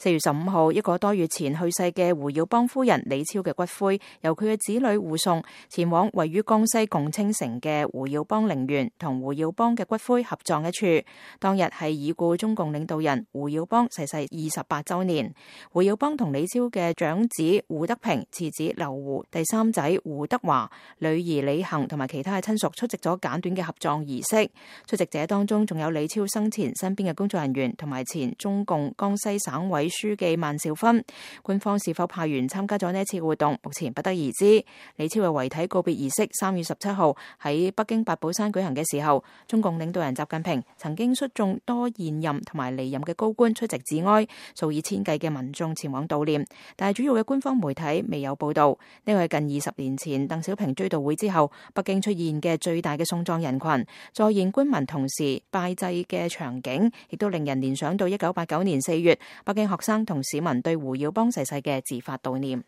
4月15號，一個多月前去世嘅胡耀邦夫人李超嘅骨灰，由佢嘅子女護送前往位於江西共青城嘅胡耀邦陵園，同胡耀邦嘅骨灰合葬一處。當日係已故中共領導人胡耀邦逝世28週年。胡耀邦同李超嘅長子胡德平、次子劉胡、第三仔胡德華、女兒李行同埋其他嘅親屬出席咗簡短嘅合葬儀式。出席者當中仲有李超生前身邊嘅工作人員同埋前中共江西省委書記萬兆勳。官方是否派員參加咗呢一次活動，目前不得而知。李超嘅遺體告別儀式3月17號喺北京八寶山舉行嘅時候，中共領導人習近平曾經率眾多現任同埋離任嘅高官出席致哀，數以千計嘅民眾前往悼念，但係主要嘅官方媒體未有報道。呢個係近20年前鄧小平追悼會之後，北京出現嘅最大嘅送葬人群，在現官民同時拜祭嘅場景，亦都令人聯想到1989年4月北京學生同市民對胡耀邦逝世嘅自發悼念。